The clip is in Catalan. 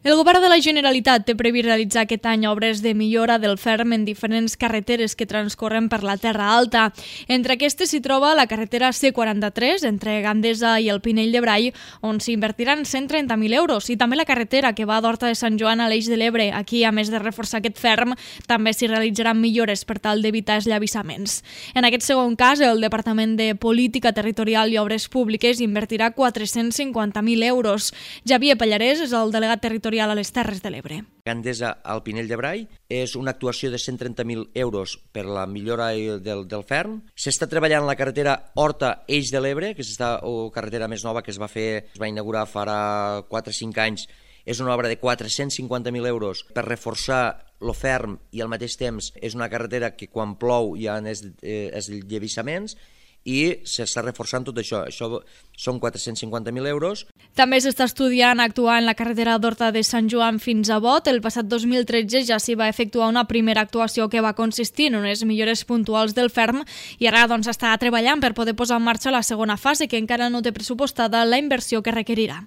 El govern de la Generalitat té previst realitzar aquest any obres de millora del ferm en diferents carreteres que transcorren per la Terra Alta. Entre aquestes s'hi troba la carretera C43 entre Gandesa i el Pinell de Brai, on s'invertiran 130.000 euros, i també la carretera que va d'Horta de Sant Joan a l'Eix de l'Ebre. Aquí, a més de reforçar aquest ferm, també s'hi realitzaran millores per tal d'evitar esllavassaments. En aquest segon cas, el Departament de Política Territorial i Obres Públiques invertirà 450.000 euros. Javier Pallarès és el delegat territorial a les Terres de l'Ebre. Gandesa al Pinell de Brai és una actuació de 130.000 euros per la millora del ferm. S'està treballant la carretera Horta-Eix de l'Ebre, que és la carretera més nova que es va inaugurar fa 4 o 5 anys. És una obra de 450.000 euros per reforçar el ferm i al mateix temps és una carretera que quan plou hi ha esllevissaments i s'està reforçant tot això. Això són 450.000 euros. També s'està estudiant actuar en la carretera d'Horta de Sant Joan fins a Bot. El passat 2013 ja s'hi va efectuar una primera actuació que va consistir en unes millores puntuals del ferm i ara s'està treballant per poder posar en marxa la segona fase, que encara no té pressupostada la inversió que requerirà.